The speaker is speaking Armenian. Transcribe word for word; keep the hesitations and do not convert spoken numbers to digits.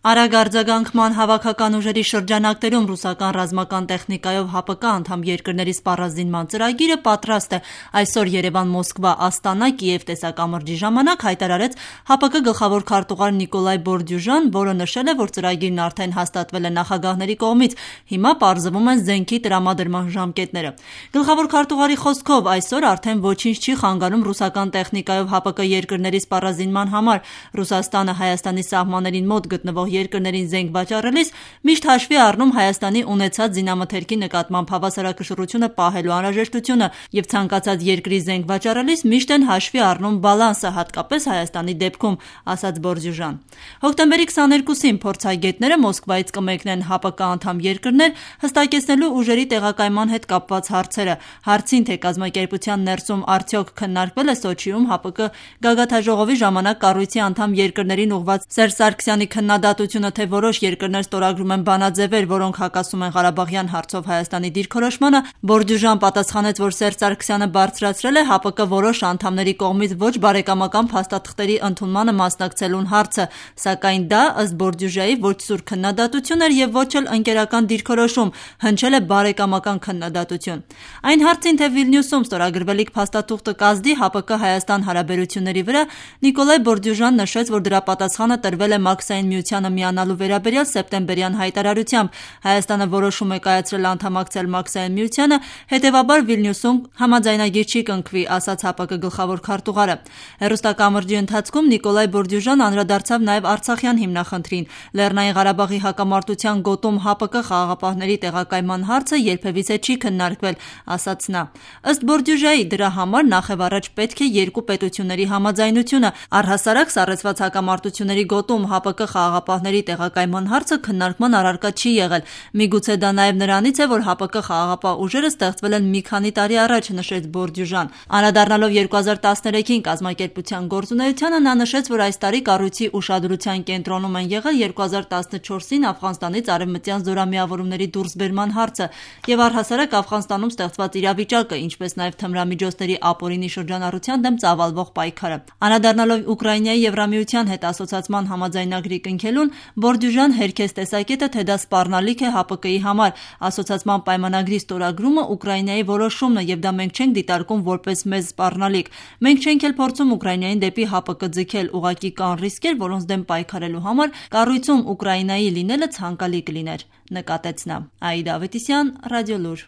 Արագ արձագանքման հավաքական ուժերի շրջանակներում ռուսական ռազմական տեխնիկայով ՀԱՊԿ անդամ երկրների սպառազինման ծրագիրը պատրաստ է։ Այսօր Երևան-Մոսկվա Աստանա Կիև տեսակամրջի ժամանակ հայտարարեց ՀԱՊԿ գլխավոր քարտուղար Նիկոլայ Բորդյուժան, որը նշել է, որ ծրագիրն արդեն հաստատվել է նախագահների կողմից, հիմա պարզվում են զենքի տրամադրման ժամկետները։ Գլխավոր քարտուղարի խոսքով այսօր արդեն ոչինչ չի խանգարում ռուսական տեխնիկայով ՀԱՊԿ երկրների սպառազինման համար։ Ռուսաստանը Հայաստանի սահմաններին մոտ գտնվող երկրներին զենք վաճառելիս միշտ հաշվի առնում Հայաստանի ունեցած զինամթերքի նկատմամբ հավասարակշռությունը պահելու անհրաժեշտությունը եւ ցանկացած երկրի զենք վաճառելիս միշտ են հաշվի առնում բալանսը, հատկապես Հայաստանի դեպքում, ասաց Բորդյուժան։ Հոկտեմբերի քսաներկուսին փորձագետները Մոսկվայից կմեկնեն ՀԱՊԿ անդամ երկրներ հստակեցնելու ուժերի տեղակայման հետ կապված հարցերը։ Հարցին, թե կազմակերպության ներսում արդյոք քննարկվել է Սոչիում ՀԱՊԿ գագաթնաժողովի ժամանակ կառույցի անդամ երկրներին ուղղված Սերժ Սարգսյանի քննադատությունը, թե որոշ երկրներ ստորագրում են բանաձևեր, որոնք հակասում են Ղարաբաղյան հարցով Հայաստանի դիրքորոշմանը, Բորդյուժան պատասխանեց, որ Սերժ Սարգսյանը բարձրացրել է ՀԱՊԿ որոշ անդամների կողմից ոչ բարեկամական փաստաթղթերի ընդունմանը մասնակցելուն հարցը, սակայն դա, ըստ Բորդյուժայի, ոչ սուր քննադատություն էր եւ ոչ էլ ընկերական դիրքորոշում, հնչել է բարեկամական քննադատություն։ Այն հարցին, թե Վիլնյուսում ստորագրվելիք փաստաթուղթը կազդի ՀԱՊԿ Հայաստան հարաբերությունների վրա, Նիկոլայ Բորդյուժան նշեց, որ դրա պատասխանը տրվել է Մաքսային միությանը միանալու վերաբերյալ սեպտեմբերյան հայտարարությամբ։ Հայաստանը որոշում է կայացրել անդամակցել Մաքսային միությանը, հետևաբար Վիլնյուսում համաձայնագիր չի կնքվի, ասաց ՀԱՊԿ գլխավոր քարտուղարը։ Հեռուստակամրջի ընթացքում Նիկոլայ Բորդյուժան անդրադարձավ նաև Արցախյան հիմնախնդրին։ Լեռնային Ղարաբաղի հակամարտության գոտում ՀԱՊԿ խաղաղապահների տեղակայման հարցը երբևիցե չի քննարկվել, ասաց նա։ Ըստ Բորդյուժայի, դրա համար նախևառաջ պետք է երկու պետությունների համաձայնությունը։ Առհասարակ սառեցված հակամարտությունների գոտում ՀԱՊԿ խաղաղապահների տեղակայման հարցը քննարկման առարկա չի եղել։ Միգուցե դա նաև նրանից է, որ ՀԱՊԿ խաղաղապահ ուժերը ստեղծվել են մի քանի տարի առաջ, նշեց Բորդյուժան։ Անդրադառնալով երկու հազար տասներեքին կազմակերպության գործունեությանը, նա նշեց, որ այս տարի կառույցի ուշադրության կենտրոնում են եղել երկու հազար տասնչորսին Աֆղանստանից արևմտյան զորամիավորումների դուրսբերման հարցը եւ առհասարակ Աֆղանստանում ստեղծված իրավիճակը, ինչպես նաև թմրամիջոցների ապօրինի շրջանառության դեմ ծավալվող պայքարը։ Անդրադառնալով Ուկրաինայի Եվրամիության հետ ասոցիացման համաձայնագրի կնքելուն, Բորդյուժան հերքեց տեսակետը, թե դա սպառնալիք է ՀԱՊԿ-ի համար։ Ասոցիացման պայմանագրի ստորագրումը Ուկրաինայի որոշումն է եւ դա մենք չենք դիտարկում որպես մեզ սպառնալիք։ Մենք չենք էլ փորձում Ուկրաինային դեպի ՀԱՊԿ ձգել, ուղղակի կան ռիսկեր, որոնց դեմ պայքարելու համար կառույցում Ուկրաինայի լինելը ցանկալի կլիներ, նկատեց նա։ Աիդա Ավետիսյան, Ռադիոլուր։